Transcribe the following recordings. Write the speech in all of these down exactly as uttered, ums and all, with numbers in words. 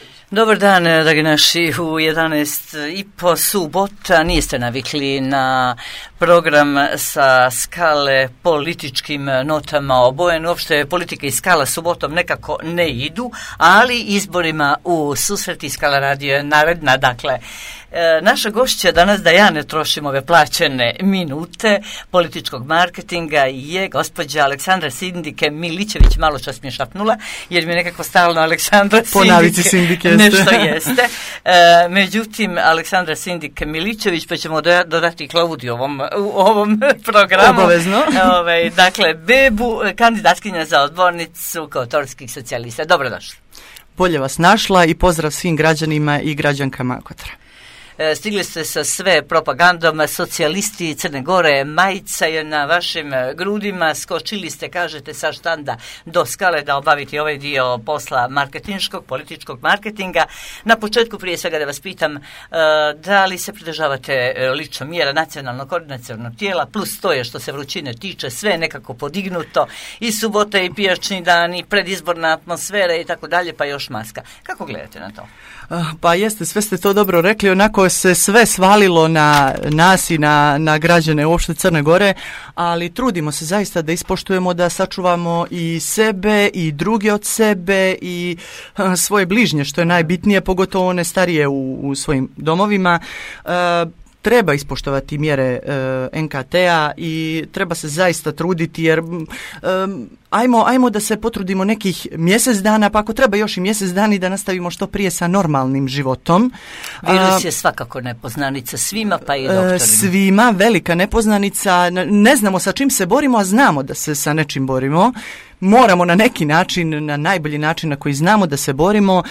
Miličević. Dobar dan, dragi naši, u jedanaest i po subota. Niste navikli na program sa skale političkim notama obojen. Uopšte politika i skala subotom nekako ne idu, ali izborima u susreti Skala radio je naredna. Dakle, e, naša gošća danas, da ja ne trošim ove plaćene minute političkog marketinga, je gospođa Aleksandra Sindike Miličević. Malo čas mi je šapnula, jer mi je nekako stalno Aleksandra Sindike nešto jeste. E, međutim, Aleksandra Sindike Miličević, pa ćemo dodati Klaudiju ovom, u ovom programu. Obavezno. Ove, dakle, Bebu, kandidatkinja za odbornicu Kotorskih socijalista. Dobrodošli. Bolje vas našla i pozdrav svim građanima i građankama Kotora. Stigli ste sa sve propagandom, socijalisti Crne Gore, majica je na vašim grudima, skočili ste, kažete, sa štanda do skale da obaviti ovaj dio posla marketinškog, političkog marketinga. Na početku, prije svega da vas pitam, da li se pridržavate lično mjera nacionalnog koordinacionog tijela, plus to je što se vrućine tiče, sve je nekako podignuto, i subota i pijačni dan, i predizborna atmosfera i tako dalje, pa još maska. Kako gledate na to? Pa jeste, sve ste to dobro rekli, onako se sve svalilo na nas i na, na građane uopšte Crne Gore, ali trudimo se zaista da ispoštujemo, da sačuvamo i sebe i druge od sebe i a, svoje bližnje, što je najbitnije, pogotovo one starije u, u svojim domovima. A, Treba ispoštovati mjere e, en ka te-a i treba se zaista truditi, jer um, ajmo, ajmo da se potrudimo nekih mjesec dana, pa ako treba još i mjesec dana i da nastavimo što prije sa normalnim životom. Virus je svakako nepoznanica svima, pa i doktorima. Svima, velika nepoznanica, ne znamo sa čim se borimo, a znamo da se sa nečim borimo. Moramo na neki način, na najbolji način na koji znamo da se borimo.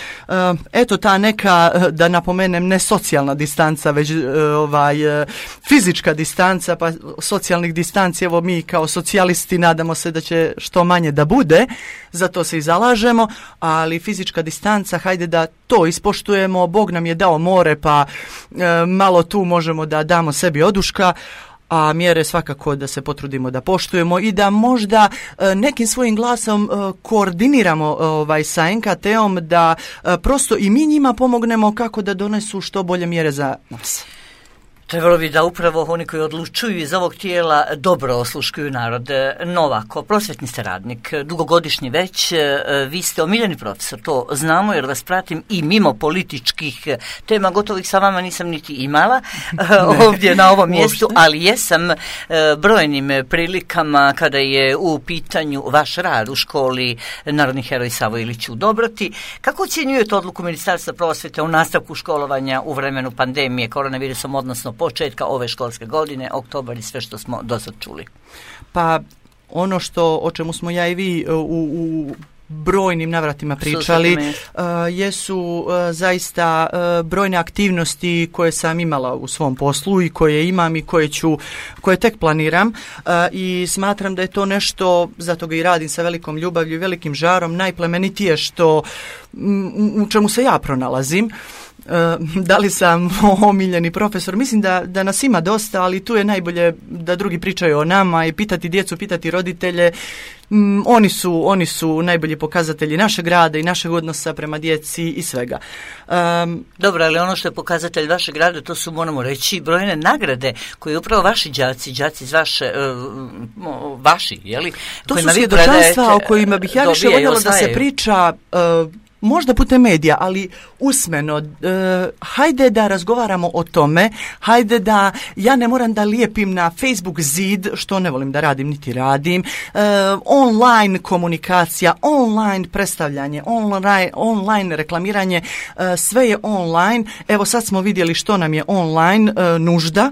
Eto ta neka, da napomenem, ne socijalna distanca, već ovaj, fizička distanca, pa socijalnih distanci, evo mi kao socijalisti nadamo se da će što manje da bude, za to se i zalažemo, ali fizička distanca, hajde da to ispoštujemo, Bog nam je dao more, pa malo tu možemo da damo sebi oduška, a mjere svakako da se potrudimo da poštujemo i da možda e, nekim svojim glasom e, koordiniramo ovaj, sa en ka te-om, da e, prosto i mi njima pomognemo kako da donesu što bolje mjere za nas. Trebalo bi da upravo oni koji odlučuju iz ovog tijela dobro osluškuju narod. Novako, prosvjetni ste radnik, dugogodišnji već, vi ste omiljeni profesor, to znamo jer vas pratim i mimo političkih tema, gotovo ih sa vama nisam niti imala ovdje na ovom mjestu, ali jesam brojnim prilikama kada je u pitanju vaš rad u školi Narodni heroj Savo Ilić u Dobroti. Kako ocjenjujete odluku Ministarstva prosvjete u nastavku školovanja u vremenu pandemije koronavirusom, odnosno početka ove školske godine, oktobar i sve što smo do sad čuli? Pa ono što, o čemu smo ja i vi u, u brojnim navratima pričali, uh, jesu uh, zaista uh, brojne aktivnosti koje sam imala u svom poslu i koje imam i koje ću, koje tek planiram, uh, i smatram da je to nešto, zato ga i radim sa velikom ljubavlju i velikim žarom, najplemenitije što m, u čemu se ja pronalazim. Uh, da li sam omiljeni profesor? Mislim da, da nas ima dosta, ali tu je najbolje da drugi pričaju o nama i pitati djecu, pitati roditelje. Mm, oni su, oni su najbolji pokazatelji našeg rada i našeg odnosa prema djeci i svega. Um, Dobro, ali ono što je pokazatelj vašeg rada, to su, moramo reći, brojne nagrade koje upravo vaši đaci, đaci iz vaše, uh, vaši, jeli? To su svjedočanstva o kojima bih ja više voljela da se priča, uh, možda putem medija, ali usmeno. E, hajde da razgovaramo o tome, hajde da ja ne moram da lijepim na Facebook zid, što ne volim da radim niti radim, e, online komunikacija, online predstavljanje, online, online reklamiranje, e, sve je online. Evo sad smo vidjeli što nam je online e, nužda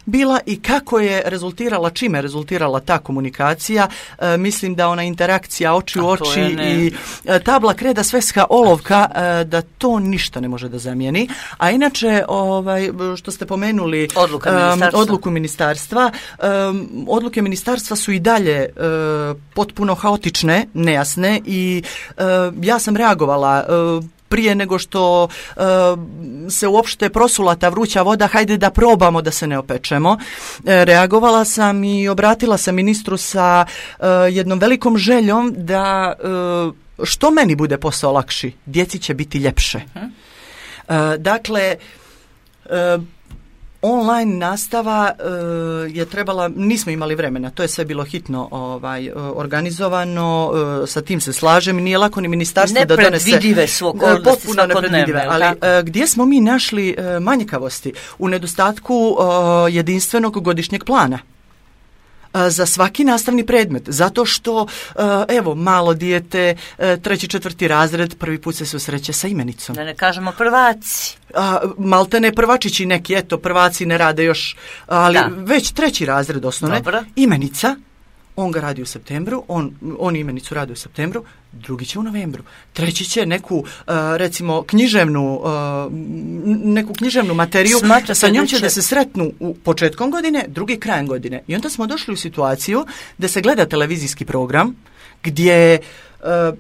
bila i kako je rezultirala, čime je rezultirala ta komunikacija. E, mislim da ona interakcija oči u oči i e, tabla kreda sveska olovka, e, da to ništa ne može da zamijeni. A inače, ovaj, što ste pomenuli, Odluka ministarstva. Um, odluku ministarstva, um, odluke ministarstva su i dalje uh, potpuno haotične, nejasne i uh, ja sam reagovala uh, prije nego što uh, se uopšte prosula ta vruća voda, hajde da probamo da se ne opečemo. E, reagovala sam i obratila sam ministru sa uh, jednom velikom željom da uh, što meni bude posao lakši, djeci će biti ljepše. Uh-huh. E, dakle, e, online nastava e, je trebala, nismo imali vremena, to je sve bilo hitno ovaj, organizovano, e, sa tim se slažem, nije lako ni ministarstvo da donese... Nepredvidive su okolnosti svakodnevne. Ali e, gdje smo mi našli e, manjkavosti? U nedostatku e, jedinstvenog godišnjeg plana za svaki nastavni predmet, zato što, evo, malo dijete, treći, četvrti razred, prvi put se susreće sa imenicom. Da ne kažemo prvaci. A, malte ne prvačići neki, eto, prvaci ne rade još, ali da. Već treći razred osnovne, dobro. Imenica, on ga radi u septembru, on, on imenicu radi u septembru, drugi će u novembru, treći će neku, uh, recimo, književnu, uh, neku književnu materiju, Smatrate sa njom će da, će da se sretnu u početkom godine, drugi krajem godine. I onda smo došli u situaciju da se gleda televizijski program gdje uh,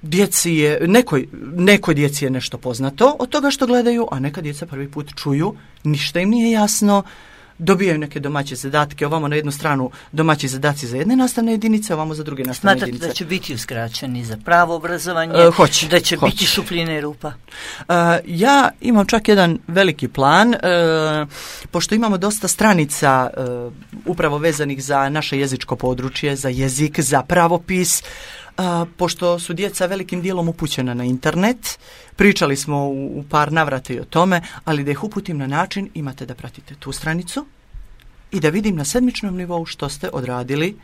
djeci je, nekoj, nekoj djeci je nešto poznato od toga što gledaju, a neka djeca prvi put čuju, ništa im nije jasno, dobijaju neke domaće zadatke, ovamo na jednu stranu domaći zadaci za jedne nastavne jedinice, ovamo za druge nastavne Smatrate jedinice. Da će biti uskraćeni za pravo obrazovanje, uh, hoć, da će hoć. biti šupljine i rupa? Uh, ja imam čak jedan veliki plan, uh, pošto imamo dosta stranica uh, upravo vezanih za naše jezičko područje, za jezik, za pravopis, uh, pošto su djeca velikim dijelom upućena na internet, pričali smo u, u par navrata i o tome, ali da ih uputim na način, imate da pratite tu stranicu i da vidim na sedmičnom nivou što ste odradili,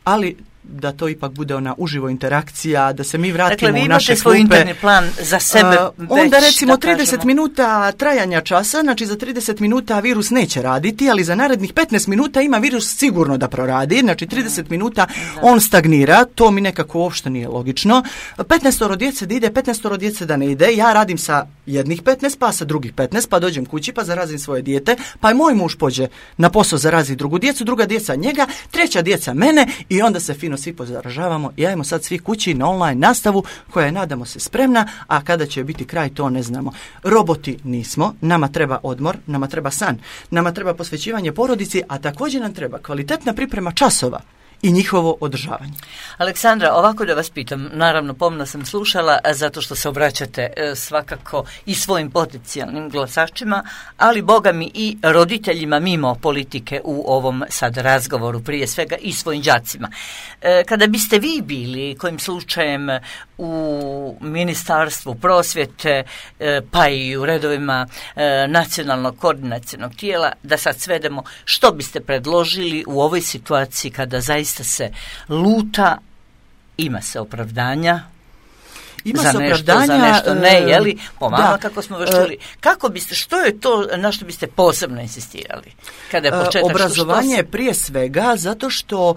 ali da to ipak bude ona uživo interakcija, da se mi vratimo dakle, u naše klupe. Dakle, vi imate svoj interni plan za sebe uh, već, onda recimo da trideset kažemo. minuta trajanja časa, znači za trideset minuta virus neće raditi, ali za narednih petnaest minuta ima virus sigurno da proradi, znači trideset minuta da. On stagnira, to mi nekako uopšte nije logično. petnaestoro djece da ide, petnaestoro djece da ne ide, ja radim sa jednih petnaest, pa sa drugih petnaest, pa dođem kući, pa zarazim svoje dijete, pa i moj muž pođe na posao, zarazi drugu djecu, druga djeca njega, treća djeca mene i onda se fino svi pozaražavamo i ajmo sad svi kući na online nastavu koja je, nadamo se, spremna, a kada će biti kraj to ne znamo. Roboti nismo, nama treba odmor, nama treba san, nama treba posvećivanje porodici, a također nam treba kvalitetna priprema časova i njihovo održavanje. Aleksandra, ovako da vas pitam, naravno pomno sam slušala zato što se obraćate e, svakako i svojim potencijalnim glasačima, ali boga mi i roditeljima mimo politike u ovom sad razgovoru, prije svega i svojim đacima. E, kada biste vi bili kojim slučajem u Ministarstvu prosvjete e, pa i u redovima e, nacionalnog koordinacionog tijela, da sad svedemo, što biste predložili u ovoj situaciji kada zaista se luta, ima se opravdanja, ima za se nešto, opravdanja, za nešto ne, jeli, po vama da, kako smo već čuli. Kako biste, što je to na što biste posebno insistirali? Kada je početak, obrazovanje što, što prije svega, zato što uh,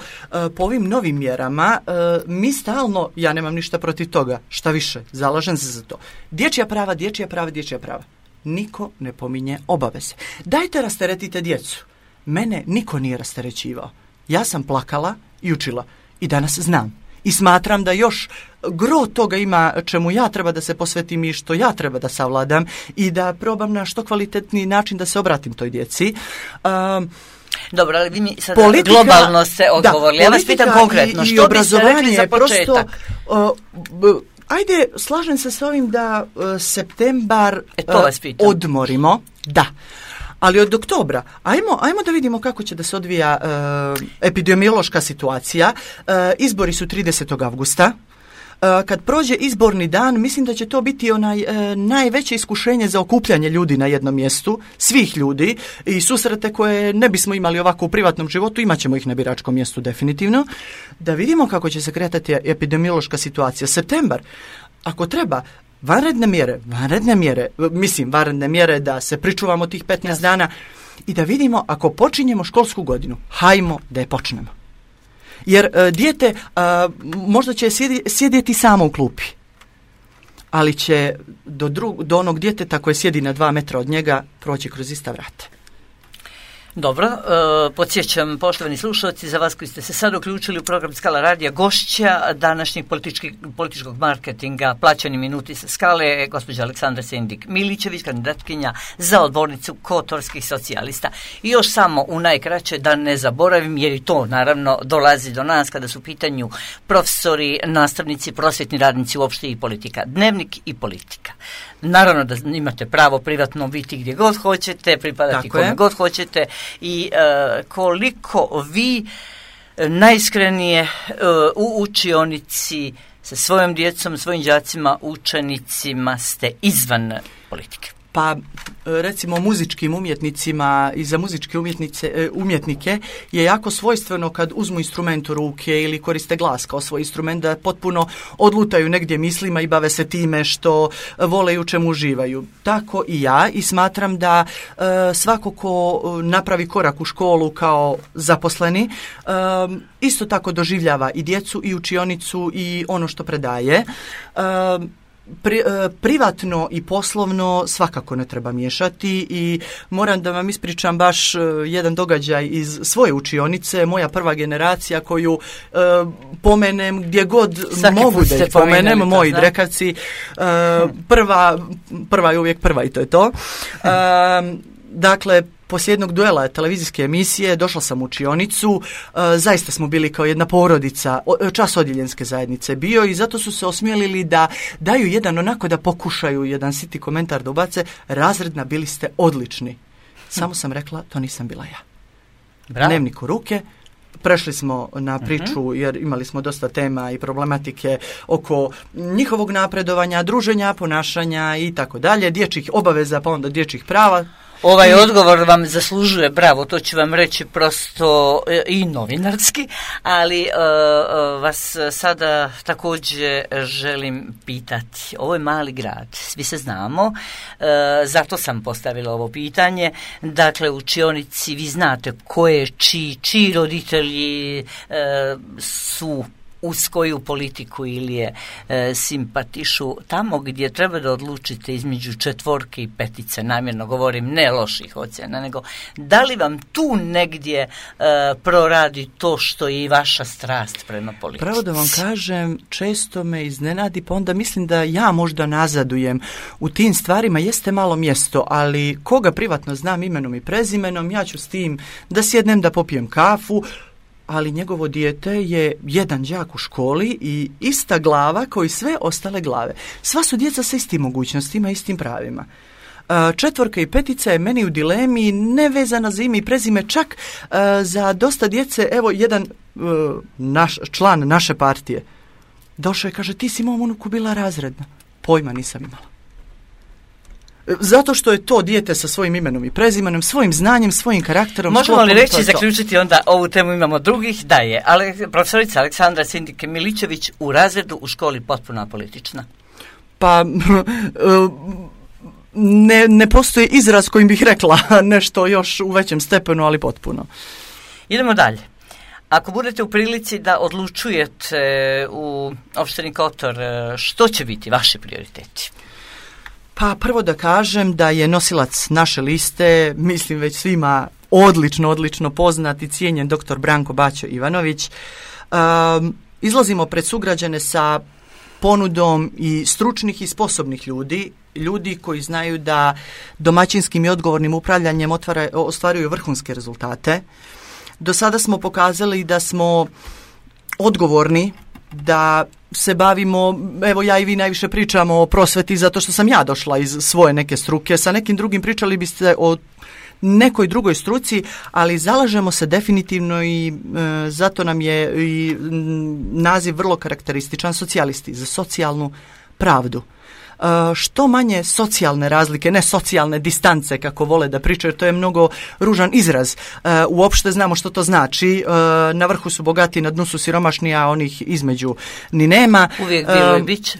po ovim novim mjerama uh, mi stalno, ja nemam ništa protiv toga, šta više, zalažem se za to. Dječja prava, dječja prava, dječja prava. Niko ne pominje obaveze. Dajte rasteretite djecu. Mene niko nije rasterećivao. Ja sam plakala i učila i danas znam. I smatram da još gro toga ima čemu ja treba da se posvetim i što ja treba da savladam i da probam na što kvalitetniji način da se obratim toj djeci. Um, Dobro, ali vi mi sada politika, globalno ste odgovorili. Da, ja vas pitam konkretno, i, što i biste rekli za početak? Prosto, uh, ajde, slažem se s ovim da uh, septembar e, to vas pitam. uh, odmorimo. Da. Ali od oktobra, ajmo, ajmo da vidimo kako će da se odvija uh, epidemiološka situacija. Uh, izbori su tridesetog avgusta. Uh, kad prođe izborni dan, mislim da će to biti onaj uh, najveće iskušenje za okupljanje ljudi na jednom mjestu, svih ljudi i susrete koje ne bismo imali ovako u privatnom životu, imat ćemo ih na biračkom mjestu definitivno. Da vidimo kako će se kretati epidemiološka situacija. Septembar, ako treba, vanredne mjere, vanredne mjere, mislim vanredne mjere da se pričuvamo tih petnaest dana i da vidimo ako počinjemo školsku godinu, hajmo da je počnemo. Jer uh, dijete uh, možda će sjedi, sjediti samo u klupi, ali će do, drug, do onog djeteta koje sjedi na dva metra od njega proći kroz ista vrata. Dobro, e, podsjećam, poštovani slušalci, za vas koji ste se sad uključili u program Skala radija, gošća današnjeg političkog marketinga Plaćeni minuti sa Skale je gospođa Aleksandra Sindik-Milićević, kandidatkinja za odbornicu Kotorskih socijalista. I još samo u najkraće da ne zaboravim, jer i to naravno dolazi do nas kada su u pitanju profesori, nastavnici, prosvjetni radnici, uopšte i politika. Dnevnik i politika. Naravno da imate pravo privatno biti gdje god hoćete, pripadati Tako kome je. god hoćete i e, koliko vi najiskrenije e, u učionici sa svojom djecom, svojim đacima, učenicima ste izvan politike. Pa recimo muzičkim umjetnicima i za muzičke umjetnice, umjetnike je jako svojstveno kad uzmu instrument u ruke ili koriste glas kao svoj instrument da potpuno odlutaju negdje mislima i bave se time što vole i u čemu uživaju. Tako i ja i smatram da e, svako ko napravi korak u školu kao zaposleni e, isto tako doživljava i djecu i učionicu i ono što predaje. E, Pri, privatno i poslovno svakako ne treba miješati i moram da vam ispričam baš jedan događaj iz svoje učionice, moja prva generacija koju e, pomenem gdje god Svaki mogu da ih pomenem, moji drekavci, e, prva, prva je uvijek prva i to je to. E, dakle, poslije jednog duela televizijske emisije došla sam u učionicu, e, zaista smo bili kao jedna porodica, o, čas odjeljenske zajednice bio i zato su se osmijelili da daju jedan onako da pokušaju jedan siti komentar da ubace, razredna bili ste odlični. Samo sam rekla, to nisam bila ja. Bravo. Dnevnik u ruke, prešli smo na priču jer imali smo dosta tema i problematike oko njihovog napredovanja, druženja, ponašanja i tako dalje, dječjih obaveza pa onda dječjih prava. Ovaj odgovor vam zaslužuje, bravo, to ću vam reći prosto i novinarski, ali uh, vas sada također želim pitati. Ovo je mali grad, svi se znamo, uh, zato sam postavila ovo pitanje. Dakle, u učionici vi znate koje, čiji, čiji roditelji uh, su uz koju politiku ili je e, simpatišu, tamo gdje treba da odlučite između četvorke i petice, namjerno govorim ne loših ocjena, nego da li vam tu negdje e, proradi to što je i vaša strast prema politici? Pravo da vam kažem, često me iznenadi, pa onda mislim da ja možda nazadujem u tim stvarima, jeste malo mjesto, ali koga privatno znam imenom i prezimenom, ja ću s tim da sjednem da popijem kafu, ali njegovo dijete je jedan đak u školi i ista glava kao i sve ostale glave. Sva su djeca sa istim mogućnostima, istim pravima. Četvorka i petica je meni u dilemi, nevezana za ime i prezime, čak za dosta djece, evo jedan naš član naše partije došao je, kaže, ti si mom unuku bila razredna. Pojma nisam imala. Zato što je to dijete sa svojim imenom i prezimenom, svojim znanjem, svojim karakterom. Možemo li reći i zaključiti onda ovu temu, imamo drugih, da je ale, profesorica Aleksandra Sindik-Milićević u razredu u školi potpuno apolitična? Pa ne, ne postoji izraz kojim bih rekla nešto još u većem stepenu, ali potpuno. Idemo dalje. Ako budete u prilici da odlučujete u opštini Kotor, što će biti vaši prioriteti? Pa prvo da kažem da je nosilac naše liste, mislim već svima odlično, odlično poznat i cijenjen doktor Branko Baćo Ivanović. Um, izlazimo pred sugrađane sa ponudom i stručnih i sposobnih ljudi, ljudi koji znaju da domaćinskim i odgovornim upravljanjem otvara, ostvaruju vrhunske rezultate. Do sada smo pokazali da smo odgovorni, da se bavimo, evo ja i vi najviše pričamo o prosveti zato što sam ja došla iz svoje neke struke, sa nekim drugim pričali biste o nekoj drugoj struci, ali zalažemo se definitivno i e, zato nam je i naziv vrlo karakterističan, socijalisti, za socijalnu pravdu. Što manje socijalne razlike, ne socijalne distance kako vole da pričaju, to je mnogo ružan izraz. Uopšte znamo što to znači. Na vrhu su bogati, na dnu su siromašni, a onih između ni nema. Uvijek bilo i bit će.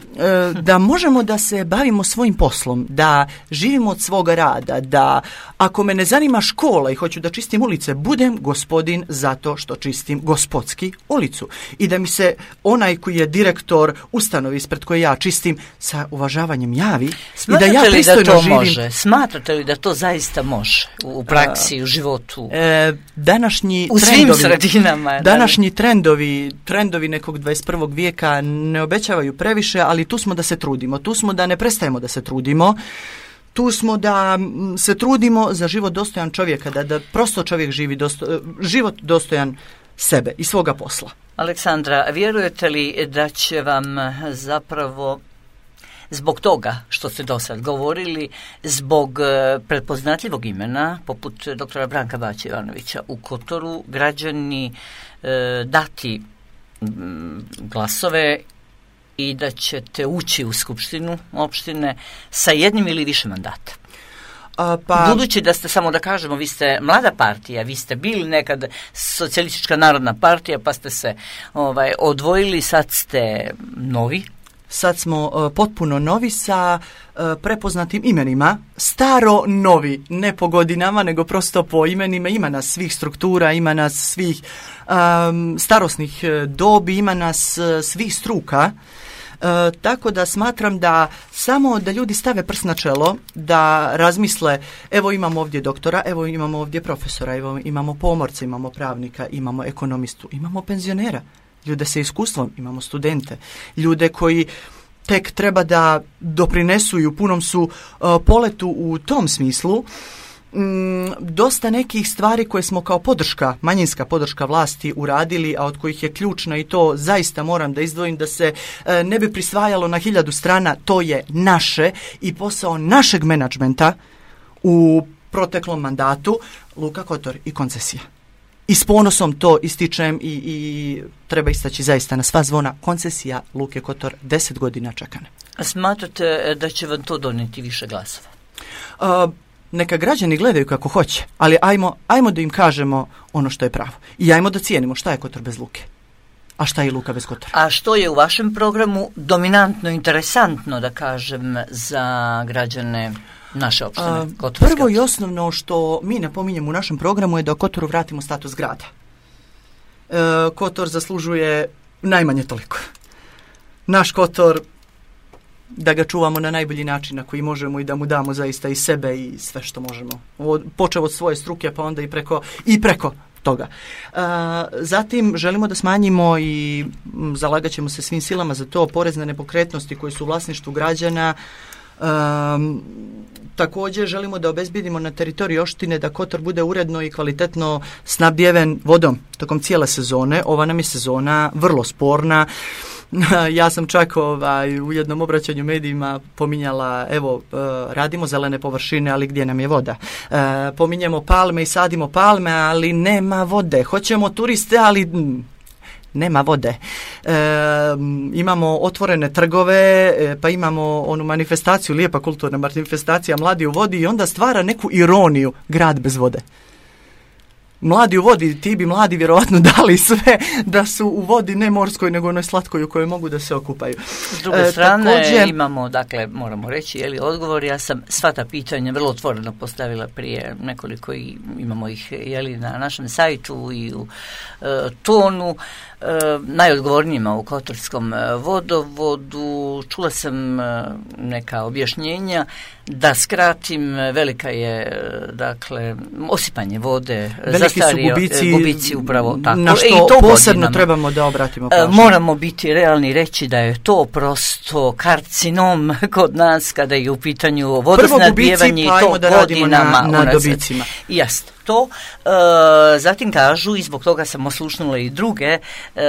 Da možemo da se bavimo svojim poslom, da živimo od svoga rada, da ako me ne zanima škola i hoću da čistim ulice, budem gospodin zato što čistim gospodski ulicu. I da mi se onaj koji je direktor ustanovi ispred koje ja čistim sa uvažavanjem uzdržavanjem javi Smatrate i da ja pristojno da to živim. Može? Smatrate li da to zaista može u praksi, u životu? E, današnji u trendovi, svim sredinama. Današnji da trendovi, trendovi nekog dvadeset prvog vijeka ne obećavaju previše, ali tu smo da se trudimo. Tu smo da ne prestajemo da se trudimo. Tu smo da se trudimo za život dostojan čovjeka, da, da prosto čovjek živi dosto, život dostojan sebe i svoga posla. Aleksandra, vjerujete li da će vam zapravo zbog toga što ste do sad govorili, zbog prepoznatljivog imena poput doktora Branka Baće Ivanovića u Kotoru, građani e, dati m, glasove i da ćete ući u skupštinu opštine sa jednim ili više mandata? A, pa... Budući da ste, samo da kažemo, vi ste mlada partija, vi ste bili nekad Socijalistička narodna partija, pa ste se ovaj, odvojili, sad ste novi. Sad smo uh, potpuno novi sa uh, prepoznatim imenima, staro novi, ne po godinama, nego prosto po imenima. Ima nas svih struktura, ima nas svih um, starosnih dobi, ima nas uh, svih struka. Uh, tako da smatram da samo da ljudi stave prst na čelo, da razmisle, evo imamo ovdje doktora, evo imamo ovdje profesora, evo imamo pomorca, imamo pravnika, imamo ekonomistu, imamo penzionera, ljude sa iskustvom, imamo studente, ljude koji tek treba da doprinesu i u punom su uh, poletu u tom smislu. Mm, dosta nekih stvari koje smo kao podrška, manjinska podrška vlasti uradili, a od kojih je ključna i to zaista moram da izdvojim da se e, ne bi prisvajalo na hiljadu strana, to je naše i posao našeg menadžmenta u proteklom mandatu, Luka Kotor i koncesija. I s ponosom to ističem i, i treba istaći zaista na sva zvona, koncesija Luke Kotor deset godina čekane. A smatrate da će vam to donijeti više glasova? Uh, Neka građani gledaju kako hoće, ali ajmo, ajmo da im kažemo ono što je pravo. I ajmo da cijenimo šta je Kotor bez Luke, a šta je Luka bez Kotora. A što je u vašem programu dominantno, interesantno, da kažem, za građane naše opštine? Uh, prvo i osnovno što mi napominjemo u našem programu je da Kotoru vratimo status grada. Uh, Kotor zaslužuje najmanje toliko. Naš Kotor, da ga čuvamo na najbolji način na koji možemo i da mu damo zaista i sebe i sve što možemo. Od, počeo od svoje struke pa onda i preko, i preko toga. Uh, zatim želimo da smanjimo i m, zalagat ćemo se svim silama za to porezne nepokretnosti koje su u vlasništvu građana. Um, također želimo da obezbedimo na teritoriji opštine da Kotor bude uredno i kvalitetno snabdjeven vodom tokom cijele sezone. Ova nam je sezona vrlo sporna. Ja sam čak ovaj, u jednom obraćanju medijima pominjala, evo, uh, radimo zelene površine, ali gdje nam je voda? Uh, pominjemo palme i sadimo palme, ali nema vode. Hoćemo turiste, ali mm, nema vode. E, imamo otvorene trgove, e, pa imamo onu manifestaciju, lijepa kulturna manifestacija Mladi u vodi i onda stvara neku ironiju, grad bez vode. Mladi u vodi, ti bi mladi vjerovatno dali sve da su u vodi ne morskoj nego onoj slatkoj u kojoj mogu da se okupaju. S druge e, strane također, imamo, dakle, moramo reći, je li odgovor, ja sam sva ta pitanja vrlo otvoreno postavila prije nekoliko i imamo ih je li na našem sajtu i u e, tonu. E, najodgovornijima u Kotorskom vodovodu. Čula sam e, neka objašnjenja. Da skratim, velika je, dakle, osipanje vode, veliki zastario, su gubici, gubici upravo tako. Na što e, to posebno godinama. Trebamo da obratimo pažnju. Moramo biti realni reći da je to prosto karcinom kod nas kada je u pitanju vodosnadbijevanje i pa to da godinama na, na dobicima. Jasno. To, e, zatim kažu, i zbog toga sam oslušnula i druge, e, e,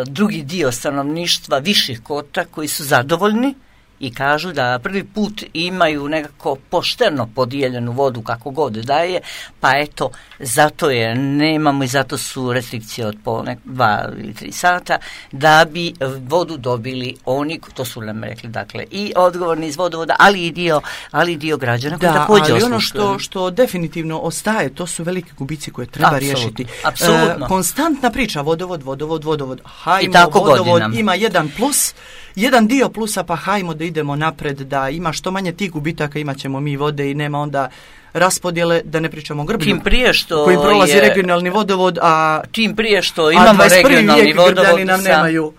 drugi dio stanovništva viših kota koji su zadovoljni i kažu da prvi put imaju nekako pošteno podijeljenu vodu kako god daje, pa eto, zato je nemamo i zato su restrikcije od po nek, dva ili tri sata, da bi vodu dobili oni, to su nam rekli, dakle, i odgovorni iz vodovoda, ali i dio, ali i dio građana koji također oslušuju. Da, ali ono što, što definitivno ostaje, to su veliki gubici koje treba apsolutno, riješiti. Apsolutno. E, konstantna priča, vodovod, vodovod, vodovod, hajmo, vodovod godinam. Ima jedan plus, jedan dio plusa, pa hajmo da idemo napred, da ima što manje tih gubitaka, imat ćemo mi vode i nema onda raspodjele, da ne pričamo o Grblju, tim prije što koji prolazi je, regionalni vodovod, a tim prije što imamo regionalni vodovod, nam nemaju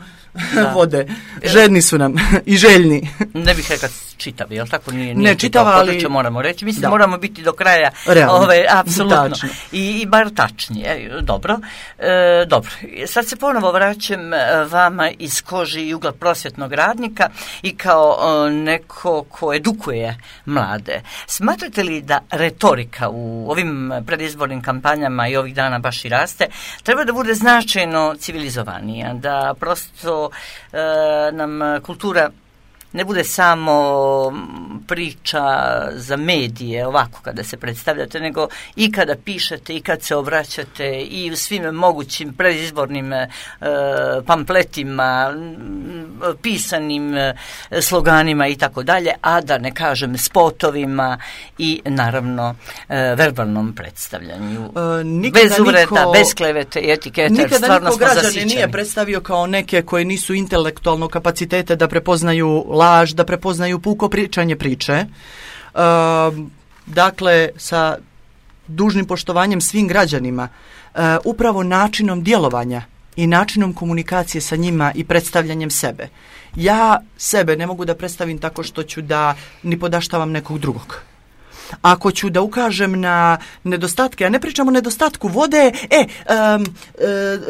da. vode. Žedni su nam i željni. Ne bih rekao čitav, jel tako? Nije, nije ne čitava, ali... moramo reći. Mislim, da. moramo biti do kraja, realno, ove, apsolutno. I, I bar tačnije. Dobro. E, dobro. Sad se ponovo vraćam vama iz kože i ugla prosvjetnog radnika i kao o, neko ko edukuje mlade. Smatrate li da retorika u ovim predizbornim kampanjama i ovih dana baš i raste, treba da bude značajno civilizovanija, da prosto e, nam kultura ne bude samo priča za medije, ovako kada se predstavljate, nego i kada pišete, i kad se obraćate, i u svim mogućim predizbornim e, pamfletima, pisanim e, sloganima i tako dalje, a da ne kažem spotovima i naravno e, verbalnom predstavljanju. E, bez uvreda, niko, bez klevete i etikete. Nikada niko građane nije predstavio kao neke koji nisu intelektualno kapacitete da prepoznaju laž, da prepoznaju puko pričanje priče. E, dakle, sa dužnim poštovanjem svim građanima, e, upravo načinom djelovanja i načinom komunikacije sa njima i predstavljanjem sebe. Ja sebe ne mogu da predstavim tako što ću da ni podaštavam nekog drugog. Ako ću da ukažem na nedostatke, a ne pričam o nedostatku vode, e, um,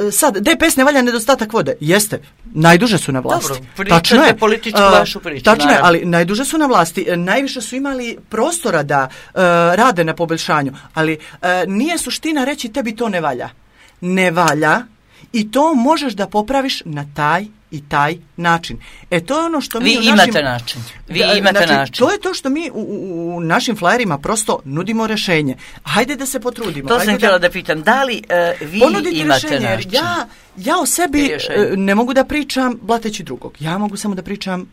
e, sad, D P S ne valja nedostatak vode. Jeste, najduže su na vlasti. Dobro, pričate političku vašu priču. Tačno je, ali najduže su na vlasti. Najviše su imali prostora da uh, rade na poboljšanju, ali uh, nije suština reći tebi to ne valja. Ne valja i to možeš da popraviš na taj i taj način. E to je ono što mi Vi u imate našim, način. Vi da, imate znači, način. To je to što mi u, u, u našim flajerima prosto nudimo rješenje. Hajde da se potrudimo. To Hajde sam htjela da, da pitam. Da li uh, vi imate rješenje, način? Ja, ja o sebi uh, ne mogu da pričam blateći drugog. Ja mogu samo da pričam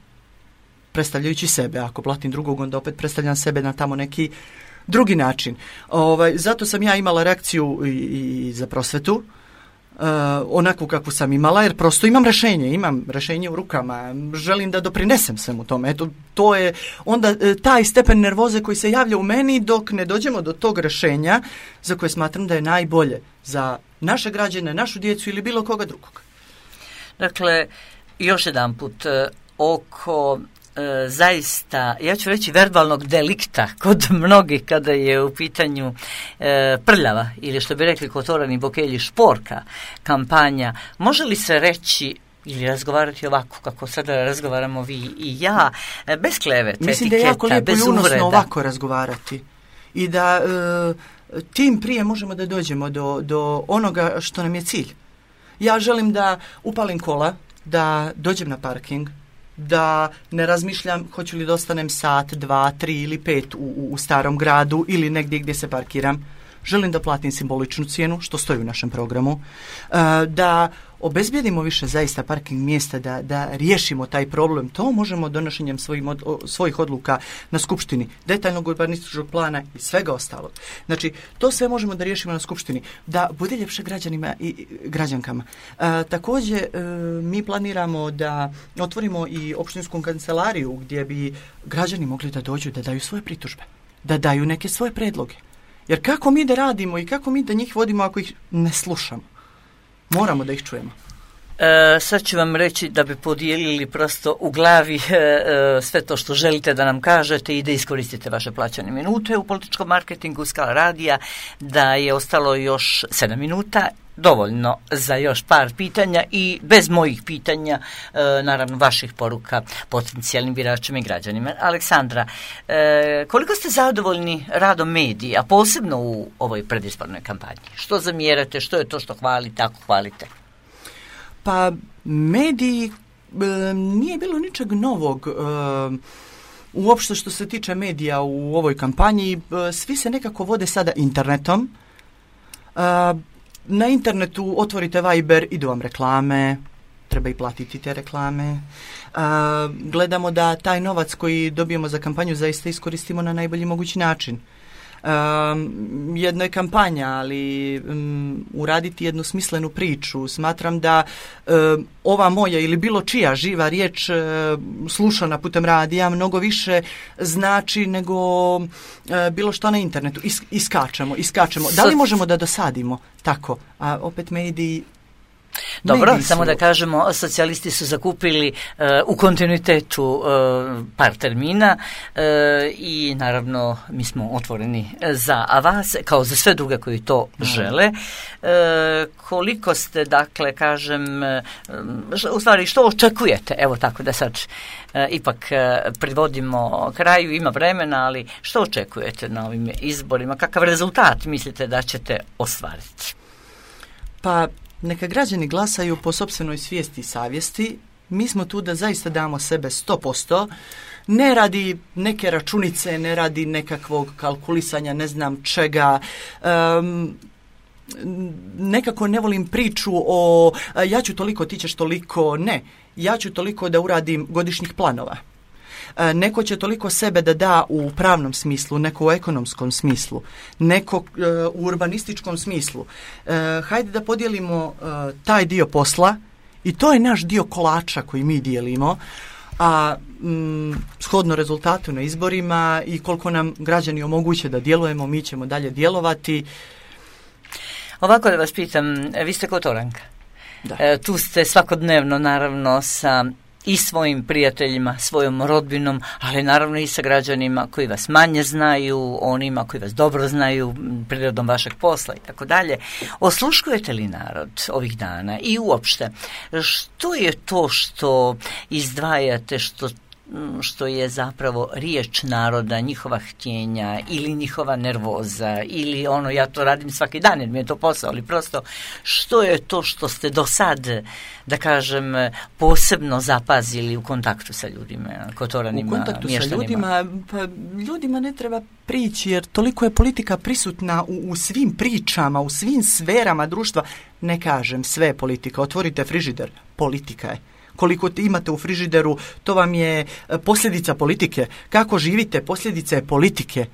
predstavljajući sebe. Ako blatim drugog, onda opet predstavljam sebe na tamo neki drugi način. Ovaj, zato sam ja imala reakciju i, i za prosvetu. Uh, onakvu kakvu sam imala, jer prosto imam rješenje, imam rješenje u rukama, želim da doprinesem svemu tome. Eto, to je onda uh, taj stepen nervoze koji se javlja u meni dok ne dođemo do tog rješenja za koje smatram da je najbolje za naše građane, našu djecu ili bilo koga drugog. Dakle, još jedan put, uh, oko E, zaista, ja ću reći verbalnog delikta kod mnogih kada je u pitanju e, prljava ili što bi rekli kotorani bokelji šporka kampanja, može li se reći ili razgovarati ovako kako sada razgovaramo vi i ja, e, bez klevete, mislim etiketa, da je jako lijepo bez i unosno uvreda. Ovako razgovarati i da e, tim prije možemo da dođemo do, do onoga što nam je cilj. Ja želim da upalim kola, da dođem na parking, da ne razmišljam hoću li da ostanem sat, dva, tri ili pet u, u, u starom gradu ili negdje gdje se parkiram. Želim da platim simboličnu cijenu, što stoji u našem programu, uh, da obezbijedimo više zaista parking mjesta, da, da riješimo taj problem. To možemo donošenjem svojim od, o, svojih odluka na skupštini, detaljnog urbanističkog plana i svega ostalog. Znači, to sve možemo da riješimo na skupštini, da bude ljepše građanima i građankama. Uh, također, uh, mi planiramo da otvorimo i opštinsku kancelariju gdje bi građani mogli da dođu, da daju svoje pritužbe, da daju neke svoje predloge. Jer kako mi da radimo i kako mi da njih vodimo ako ih ne slušamo? Moramo da ih čujemo. E, sad ću vam reći da bi podijelili prosto u glavi e, e, sve to što želite da nam kažete i da iskoristite vaše plaćane minute u političkom marketingu Skala radija, da je ostalo još sedam minuta, dovoljno za još par pitanja i bez mojih pitanja, e, naravno vaših poruka potencijalnim biračima i građanima. Aleksandra, e, koliko ste zadovoljni radom medija, posebno u ovoj predizbornoj kampanji? Što zamjerate, što je to što hvalite, ako hvalite? Pa mediji, e, nije bilo ničeg novog. E, uopšte što se tiče medija u ovoj kampanji, e, svi se nekako vode sada internetom. E, Na internetu otvorite Viber, idu vam reklame, treba i platiti te reklame. Uh, gledamo da taj novac koji dobijemo za kampanju zaista iskoristimo na najbolji mogući način. Um, jedno je kampanja, ali um, uraditi jednu smislenu priču. Smatram da um, ova moja ili bilo čija živa riječ uh, slušana putem radija mnogo više znači nego uh, bilo što na internetu. Is, iskačemo, iskačemo. Da li možemo da dosadimo tako? A opet mediji Dobro, Mediji samo su... da kažemo, socijalisti su zakupili uh, u kontinuitetu uh, par termina uh, i naravno mi smo otvoreni za vas, kao za sve druge koji to mm. žele. Uh, koliko ste, dakle, kažem, uh, u stvari što očekujete, evo tako da sad uh, ipak uh, privodimo kraju, ima vremena, ali što očekujete na ovim izborima, kakav rezultat mislite da ćete ostvariti? Pa neka građani glasaju po sopstvenoj svijesti i savjesti. Mi smo tu da zaista damo sebe sto posto. Ne radi neke računice, ne radi nekakvog kalkulisanja, ne znam čega. Um, nekako ne volim priču o ja ću toliko, ti ćeš toliko. Ne, ja ću toliko da uradim godišnjih planova. Neko će toliko sebe da da u pravnom smislu, neko u ekonomskom smislu, neko uh, u urbanističkom smislu. Uh, hajde da podijelimo uh, taj dio posla i to je naš dio kolača koji mi dijelimo, a mm, shodno rezultatu na izborima i koliko nam građani omoguće da djelujemo, mi ćemo dalje djelovati. Ovako da vas pitam, vi ste Kotoranka. Da. E, tu ste svakodnevno naravno sa i svojim prijateljima, svojom rodbinom, ali naravno i sa građanima koji vas manje znaju, onima koji vas dobro znaju, prirodom vašeg posla i tako dalje. Osluškujete li narod ovih dana i uopšte, što je to što izdvajate, što što je zapravo riječ naroda, njihova htjenja ili njihova nervoza ili ono, ja to radim svaki dan jer mi je to posao, ali prosto što je to što ste do sad, da kažem, posebno zapazili u kontaktu sa ljudima, Kotoranima, u kontaktu mještanima? Sa ljudima, pa ljudima ne treba prići jer toliko je politika prisutna u, u svim pričama, u svim sferama društva. Ne kažem sve je politika, otvorite frižider, politika je. Koliko imate u frižideru, to vam je posljedica politike. Kako živite, posljedica je politike.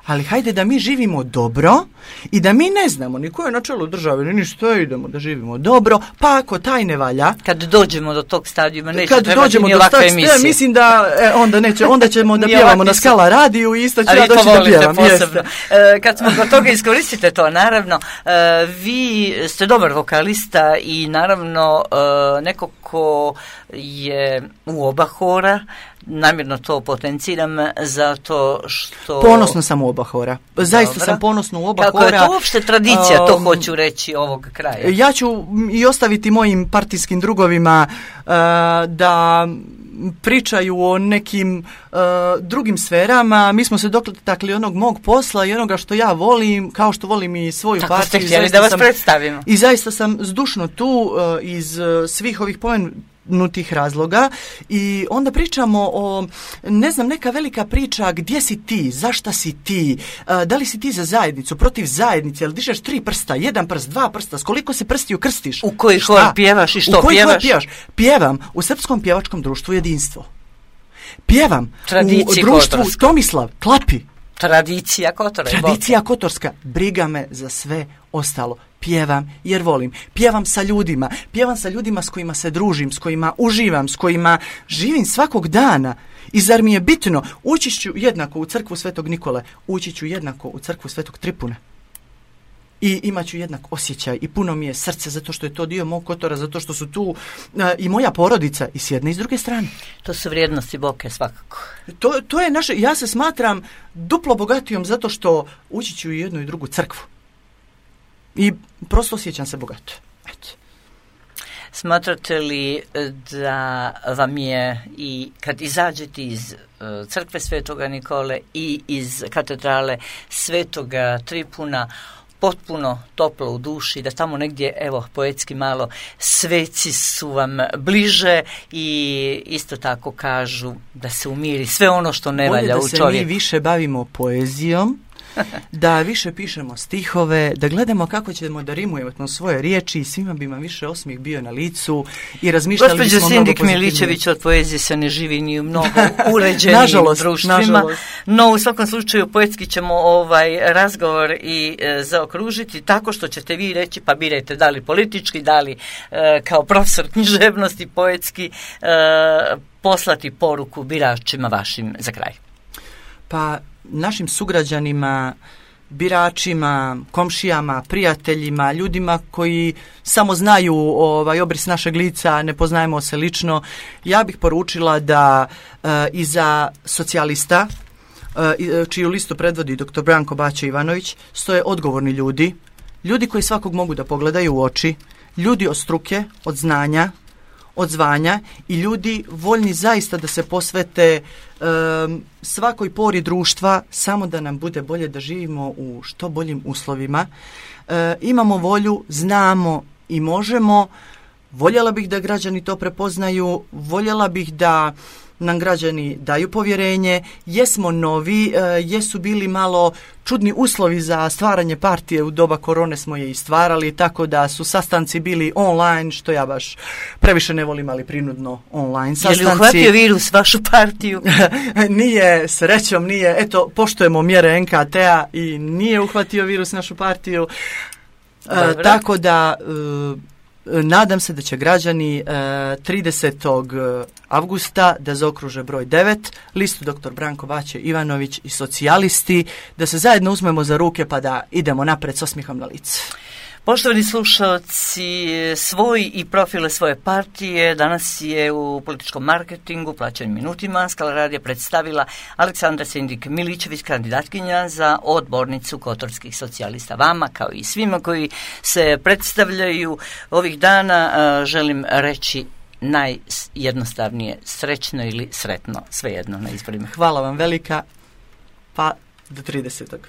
Ali hajde da mi živimo dobro i da mi ne znamo ni ko je na čelu države, ni ništa, idemo da živimo dobro, pa ako taj ne valja... Kad dođemo do tog stadijuma, neće kad trebati dođemo ni do ovakve stadijuma, emisije. mislim da e, onda, neće, onda ćemo da pjevamo na Skala radiju i isto ću ja doći da pjevam. Posebno. E, kad smo do toga, iskoristite to, naravno. E, vi ste dobar vokalista i naravno e, neko ko je u oba hora, namjerno to potenciram zato što... Ponosno sam u oba hora. Zaista Dobra. sam ponosno u oba Kako hora. Kako je to uopšte tradicija, um, to hoću reći, ovog kraja? Ja ću i ostaviti mojim partijskim drugovima uh, da pričaju o nekim uh, drugim sferama. Mi smo se dotakli onog mog posla i onoga što ja volim, kao što volim i svoju Tako partiju. Tako ste htjeli da vas sam, predstavimo. I zaista sam zdušno tu uh, iz uh, svih ovih pomenutih razloga i onda pričamo o, ne znam, neka velika priča gdje si ti, zašta si ti, uh, da li si ti za zajednicu, protiv zajednice, jel dižeš tri prsta, jedan prst, dva prsta, s koliko se prstiju krstiš? U koji hor pjevaš i što u koji pjevaš? Hor pjevaš? Pjevam u Srpskom pjevačkom društvu Jedinstvo. Pjevam Tradiciji u društvu Kotorska. Tomislav, Klapi. Tradicija Kotora. Tradicija Kotorska. Briga me za sve ostalo. Pjevam jer volim. Pjevam sa ljudima. Pjevam sa ljudima s kojima se družim, s kojima uživam, s kojima živim svakog dana. I zar mi je bitno, ući ću jednako u crkvu Svetog Nikole, ući ću jednako u crkvu Svetog Tripuna. I imat ću jednak osjećaj i puno mi je srce zato što je to dio mog Kotora, zato što su tu uh, i moja porodica i s jedne i s druge strane. To su vrijednosti Boke svakako. To, to je naše, ja se smatram duplo bogatijom zato što ući ću u jednu i drugu crkvu. I prosto osjećam se bogato. Eto. Smatrate li da vam je i kad izađete iz uh, crkve Svetoga Nikole i iz katedrale Svetoga Tripuna potpuno toplo u duši, da tamo negdje, evo, poetski malo, sveci su vam bliže i isto tako kažu da se umiri sve ono što ne valja u čovjeku. Bolje da se mi više bavimo poezijom, da više pišemo stihove, da gledamo kako ćemo da rimujemo svoje riječi i svima bi vam više osmijeh bio na licu i razmišljali Gospođo bismo mnogo Sindik Miličević, od poezije se ne živi ni u mnogo uređenijim nažalost, društvima, nažalost. No u svakom slučaju poetski ćemo ovaj razgovor i e, zaokružiti tako što ćete vi reći, pa birajte da li politički, da li e, kao profesor književnosti poetski e, poslati poruku biračima vašim za kraj. Pa našim sugrađanima biračima, komšijama, prijateljima, ljudima koji samo znaju ovaj obris našeg lica, ne poznajemo se lično, ja bih poručila da e, iza socijalista, e, čiju listu predvodi doktor Branko Baća Ivanović, stoje odgovorni ljudi, ljudi koji svakog mogu da pogledaju u oči, ljudi od struke, od znanja, od zvanja i ljudi voljni zaista da se posvete um, svakoj pori društva samo da nam bude bolje, da živimo u što boljim uslovima. E, imamo volju, znamo i možemo. Voljela bih da građani to prepoznaju, voljela bih da nam građani daju povjerenje, jesmo novi, e, jesu bili malo čudni uslovi za stvaranje partije, u doba korone smo je i stvarali, tako da su sastanci bili online, što ja baš previše ne volim, ali prinudno online sastanci. Je li uhvatio virus vašu partiju? Nije, srećom nije, eto, poštujemo mjere en ka te-a i nije uhvatio virus našu partiju, e, tako da... E, nadam se da će građani e, tridesetog avgusta da zaokruže broj devet, listu doktor Branko Baća Ivanović i socijalisti, da se zajedno uzmemo za ruke pa da idemo napred s osmihom na lice. Poštovani slušalci, svoj i profile svoje partije danas je u političkom marketingu plaćenim minutima Skala radija predstavila Aleksandra Sendik-Miličević, kandidatkinja za odbornicu Kotorskih socijalista. Vama, kao i svima koji se predstavljaju ovih dana, želim reći najjednostavnije srećno ili sretno, svejedno na izborima. Hvala vam velika, pa do tridesetog